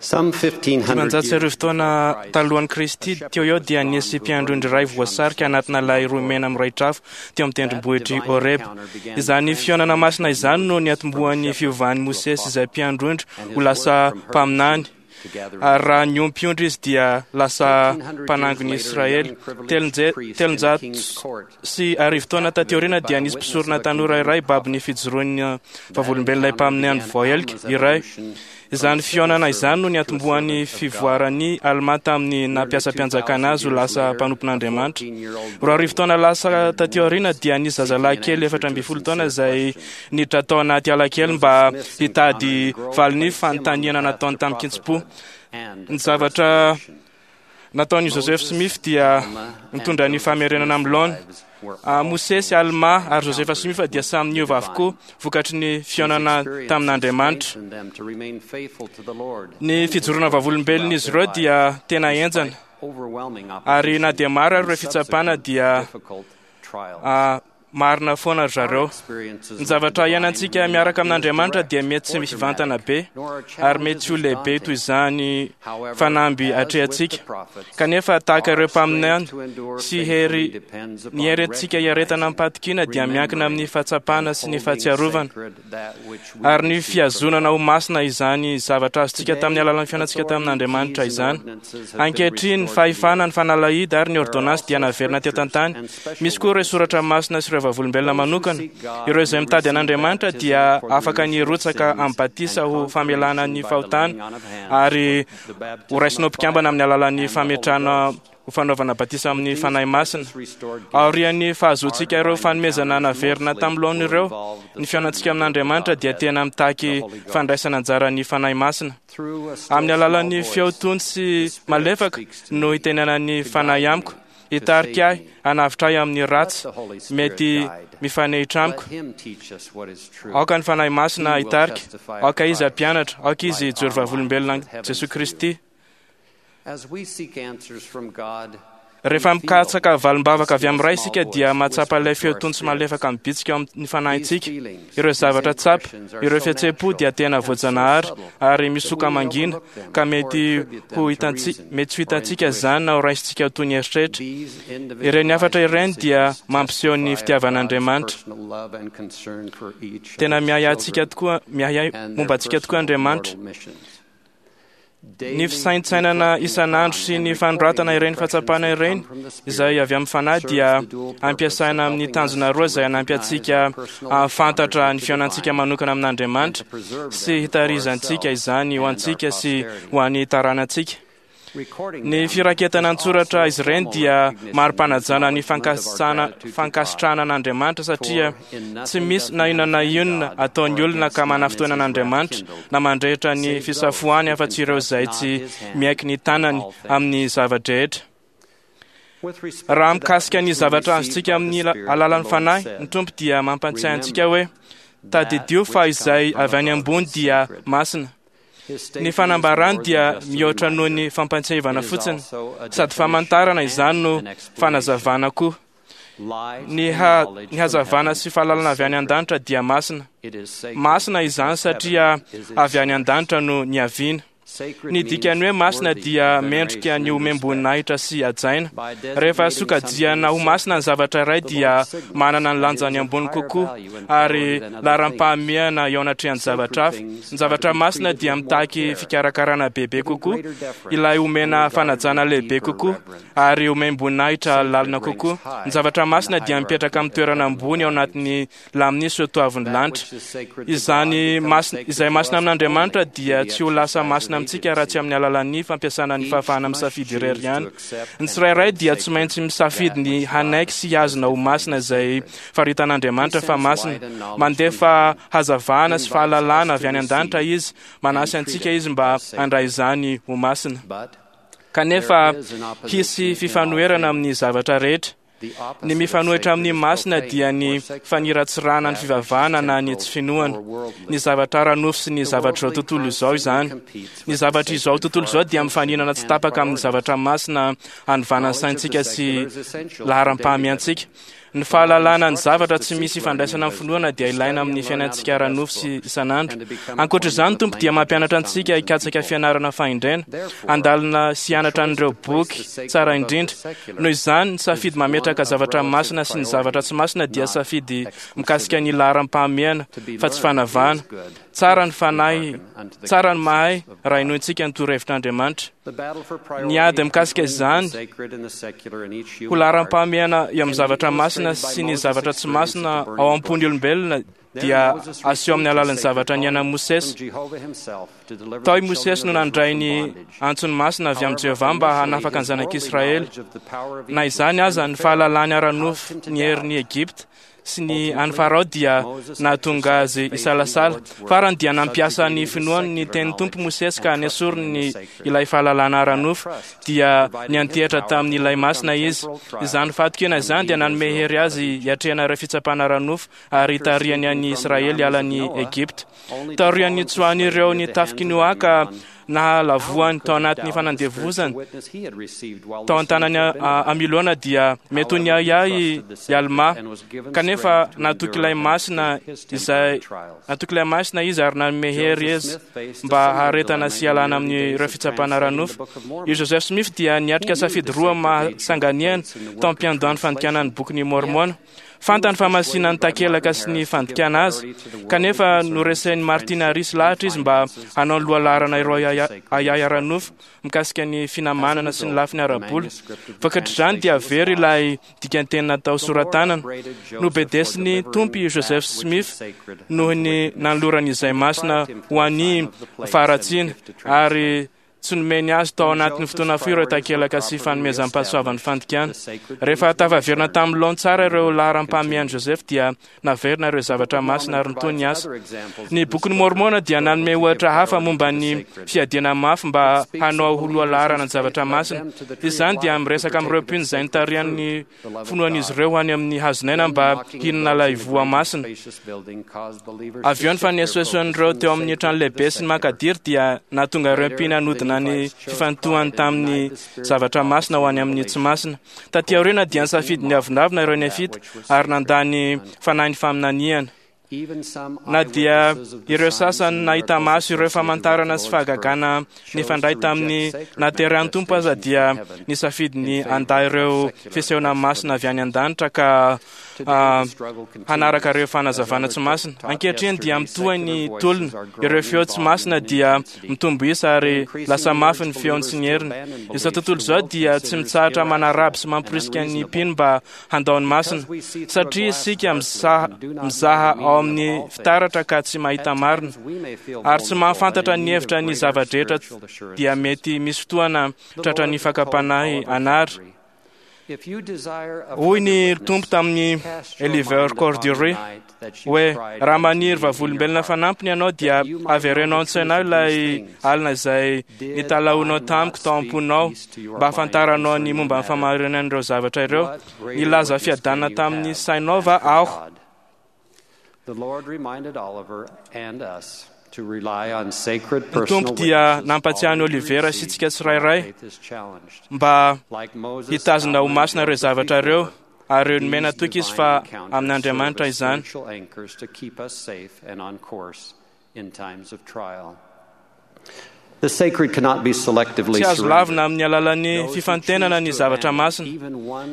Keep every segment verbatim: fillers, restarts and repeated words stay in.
Dimanjato sy arivo taona talohan'i Kristy teo eo dia nisy mpiandry ondry iray voasarika anatina lay roa mena mirehitra afo teo amin'ny tendrombohitr'i Horeba. Izany fihaonana masina izany no niatombohan'ny fiovan'i Mosesy izay mpiandry ondry ho lasa mpaminany. Ary raha niompy ondry izy dia lasa mpanangon'i Israely. Telonjato sy arivo taona taty aoriana dia nisy mpisorona tanora iray babon'ny fijoroan'ny vavolombelon'ilay mpaminany voahelika iray. Izany fihaonana izany no niatombohan'ny fivoaran'i Alma tamin'ny nampiasam-pianjakana azy ho lasa mpanompon'Andriamanitra. Roa arivo taona lasa taty aoriana dia nisy zazalahy kely efatra ambin'ny folo taona izay niditra tao anaty ala kely mba hitady valin'ny fanontaniana nataony tamin-kitsim-po. Ny zavatra nataon'i Joseph Smith dia nitondra ny famerenana amin'ny laona. Mosesy, Alma ary Joseph Smith dia samy niova avokoa vokatry ny fihaonana tamin'Andriamanitra. Ny fijoroana vavolombelon'izy ireo dia tena henjana, ary na dia maro ary ireo fitsapana dia marina foana ry zareo. Ny zavatra iainantsika miaraka amin'Andriamanitra dia mety tsy mivantana be ary mety tsy ho lehibe toy izany fanamby atrehantsika. Kanefa tahaka ireo mpaminany sy hery ny hery antsika hiaretana amim-pahatokiana dia miankina amin'ny fahatsapana sy ny fahatsiarovana ary ny fihazonana ho masina izany zavatra azontsika tamin'ny alalan'ny fihaonantsika tamin'Andriamanitra izany. Ankehitriny, ny fahefana, ny fanalahidy ary ny ordonnance dia naverina teto an-tany. Misy koa ireo soratra masina sy ireo vavolombelona manokana. Ireo izay mitady an'Andriamanitra dia afaka ny hirotsaka amin'ny batisa ho famelana ny fahotana ary ho raisina ho mpikambana amin'ny alalan'ny fametrahana ho fanaovana batisa amin'ny Fanahy Masina. Aorian'ny fahazoantsika ireo fanomezana naverina tamin'ny laoniny ireo, ny fihaonantsika amin'Andriamanitra dia tena mitaky fandraisana anjara ny Fanahy Masina. Amin'ny alalan'ny feo tony sy malefaka no hitenenan'ny Fanahy amiko, hitarika ahy hanavotra ahy amin'ny ratsy mety mifanehitra amiko. Aoka ny Fanahy Masina hitarika, aoka Izy hampianatra, aoka Izy hijoro vavolombelona Jesoa Kristy. Rehefa mikatsaka valim-bavaka avy amin'ny Ray isika dia mahatsapa ilay feo tony sy malefaka mibitsika ao amin'ny fanahintsika. Ireo zavatra tsapa, ireo fihetseham-po dia tena voajanahary ary misoka mangina ka mety ho hitantsika, mety tsy ho hitantsika izany na ho raisintsika ho toy ny eritreritra. Ireny hafatra ireny dia mampiseho ny fitiavan'Andriamanitra. Tena miahy antsika tokoa, miahy momba antsika tokoa Andriamanitra. Ny fisaintsainana isan'andro sy ny fanoratana ireny fahatsapana ireny izay avy amin'ny Fanahy dia ampiasaina amin'ny tanjona roa izay hanampy antsika hahafantatra ny fihaonantsika manokana amin'Andriamanitra sy hitarizantsika izany ho antsika sy ho an'ny taranantsika. Ny firaketana an-tsoratra izy ireny dia mari-panajana ny fankasitrahana an'Andriamanitra satria tsy misy na inona na inona ataon'ny olona ka manafintohina an'Andriamanitra na mandrehitra ny fisafoany afa-tsy ireo izay tsy miaiky ny tanany amin'ny zava-drehetra. Raha mikasika ny zavatra azontsika amin'ny alalan'ny Fanahy, ny Tompo dia mampantsiahy antsika hoe tadidio fa izay avy any ambony dia masina. Ny fanambarany dia mihoatra noho ny fampantsiahivana fotsiny, sady famantarana izany no fanazavana koa. Ny ha, ny hazavana sy fahalalana avy any an-danitra dia masina. Masina izany satria avy any an-danitra no niaviana. Ny dikan'ny hoe masina dia mendrika ny homem-boninahitra sy hajaina. Rehefa sokajiana ho masina ny zavatra iray dia manana ny lanjany ambony kokoa ary laharam-pahamehana eo anatrehan'ny zavatra hafa. Ny zavatra masina dia mitaky fikarakarana bebe kokoa, ilay omena fanajana lehibe kokoa ary omem-boninahitra lalina kokoa. Ny zavatra masina dia mipetraka amin'ny toerana ambony ao anatin'ny lamin'ny soatoavin'ny lanitra. Izany masina, izay masina amin'Andriamanitra dia tsy ho lasa masina amintsika raha tsy amin'ny alalan'ny fampiasana ny fahafahana misafidy irery ihany. Ny tsirairay dia tsy maintsy misafidy ny hanaiky sy hihazona ho masina izay faritan'Andriamanitra fa masina. Mandefa hazavana sy fahalalana avy any an-danitra Izy, manasy antsika Izy mba handray izany ho masina. Kanefa hisy fifanoherana amin'ny zavatra rehetra. Ny mifanohitra amin'ny masina dia ny faniratsirana ny fivavahana na ny tsy finoana. Ny zavatra ara-nofo sy ny zavatr'izao tontolo izao izany. Ny zavatr'izao tontolo izao dia mifaninana tsy tapaka amin'ny zavatra masina hanovana ny saintsika sy laharam-pahamiantsika. Ny fahalalana ny zavatra tsy misy ifandraisana amin'ny finoana dia ilaina amin'ny fiainantsika ara-nofo sy isan'andro. Ankoatra izany, Tompo dia mampianatra antsika hikatsaka fianarana fahendrena, handalina sy hianatra an'ireo boky tsara indrindra. Noho izany, ny safidy mametraka zavatra masina sy ny zavatra tsy masina dia safidy mikasika ny laharam-pahamehana fa tsy fanavahana. Tsara ny fanahy, tsara ny mahay raha inoantsika ny torohevitr'Andriamanitra. Ny ady mikasika izany ho laharam-pahamehana eo amin'ny zavatra masina sy ny zavatra tsy masina ao am-pon'ny olombelona dia aseho amin'ny alalan'ny zavatra niainan'i Mosesy. Tao i Mosesy no nandray ny antsony masina avy amin'i Jehovah mba hanafaka ny zanak'Israely. Na izany aza, ny fahalalany ara-nofo ny herin'i Egypta sy ny an'i Farao dia nahatonga azy hisalasala. Farany dia nampiasa ny finoany ny tenin'ny Tompo Mosesy ka nesoriny ny ilay fahalalana ara-nofo, dia niantehitra tamin'ilay masina izy. Izany fahatokiana izany dia nanome hery azy hiatrehana ireo fitsapana ara-nofo ary hitarihany an'i Israely hiala an'i Egypta. Taorian'ny nitsoahan'ireo ny tafik'i Noa ka nahalavoany tao anatin'ny fanandevozana tao an-tanany Amilona dia mety ho niahiahy i Alma, kanefa natoky ilay masina izay natoky ilay masina izy ary nanome hery izy mba haharetana sy hialana amin'ireo fitsapana ara-nofo. I Joseph Smith dia niatrika safidy roa mahasanganehana tao am-piandohan'ny fandikana ny bokin'i Môrmôna. Fantany fa masina ny takelaka sy ny fandikana azy, kanefa noresain'i Martin Harris lahatra izy mba hanao ny lohalaharana ireo ahiahy ara-nofo mikasika ny finamanana sy ny lafiny ara-bola. Vokatr'izany dia very ilay dikanteny natao sora-tanana. Nobedesin'ny Tompo i Joseph Smith noho ny nanolorany izay masina ho an'ny faharatsiana, ary tsy nomeny azy tao anatin'ny fotoana fohy ireo takelaka sy fanomezam-pahasoavan'ny fandikana. Rehefa tafaverina tamin'ny laoniny tsara ireo laharam-pahamehan'i Joseph dia naverina ireo zavatra masina ary nitohy ny asa. Ny bokin'i Môrmôna dia nanome ohatra hafa momba ny fiadiana mafy mba hanao ho lohalaharana ny zavatra masina. Izany dia miresaka amin'ireo mpino izay nitarihan'ny finoan'izy ireo ho any amin'ny hazon'aina mba hihinana ilay voa masina. Avy eo ny fanesoesoan'ireo teo amin'ny trano lehibe sy ny makadiry dia nahatonga ireo mpino hanodina ny fifantohany tamin'ny zavatra masina ho any amin'ny tsy masina. Taty aoriana dia nisafidy ny avonavona ireo Nefita ary nandà ny fanahin'ny faminaniana. Na dia ireo sasany nahita maso ireo famantarana sy fahagagana nifandray tamin'ny nahaterahan'ny Tompo aza dia nisafidy ny handà ireo fisehoana masina avy any an-danitra ka hanaraka ireo fanazavana tsy masina. Ankehitriny dia mitohy ny tolona. Ireo feo tsy masina dia mitombo isa ary lasa mafy ny feony sy ny heriny. Izao tontolo izao dia tsy mitsahatra manaraby sy mamporisika ny mpino mba handao ny masina, satria isika mizaha, mizaha ao amin'ny fitaratra ka tsy mahita marina ary tsy mahafantatra ny hevitra ny zava-drehetra, dia mety misy fotoana tratra ny fakam-panahy anary. Hoy ny Tompo tamin'i Oliver Cowdery hoe, raha maniry vavolombelona fanampiny ianao dia avereno an-tsainao ilay alina izay nitalahoanao tamiko tao am-ponao mba hahafantaranao ny momba ny fahamarinan'ireo zavatra ireo. Nilaza fiadanana tamin'ny sainao va aho? Ny Tompo dia nampatsiahy an'i Olivera sy isika tsirairay mba hitazona ho masina ireo zavatra ireo, ary nomena toky izy fa amin'Andriamanitra izany. Tsy azo lavina amin'ny alalan'ny fifantenana ny zavatra masina.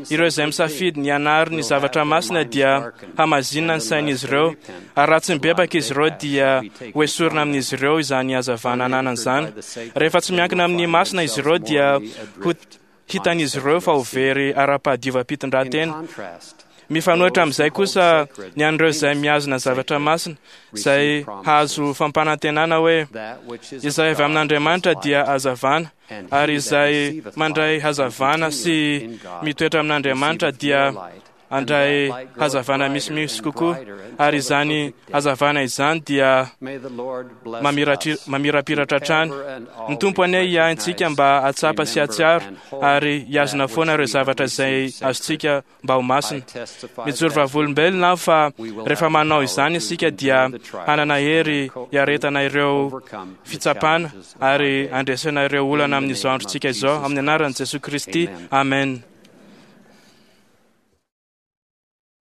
Ireo izay misafidy ny hanary ny zavatra masina dia hamazinina ny sain'izy ireo, ary raha tsy mibebaka izy ireo dia ho esorina amin'izy ireo izany hazavana ananany izany. Rehefa tsy miankina amin'ny masina izy ireo dia ho hitan'izy ireo fa ho very ara-pahadiovam-pitondrantena. Mifanohitra amin'izay kosa ny an'ireo izay mihazona zavatra masina, izay hahazo fampanantenana hoe izay avy amin'Andriamanitra dia hazavana, ary izay mandray hazavana sy mitoetra amin'Andriamanitra dia handray hazavana misimisy kokoa, ary izany hazavana izany dia mamirapiratra hatrany. Ny Tompo anie hiahy antsika mba hahatsapa sy hahatsiaro ary hihazona foana ireo zavatra izay azontsika mba ho masina. Mijoro vavolombelona aho fa rehefa manao izany isika dia hanana hery hiaretana ireo fitsapana ary handresena ireo olana amin'izao androntsika izao, amin'ny anaran'i Jesoa Kristy. Amen.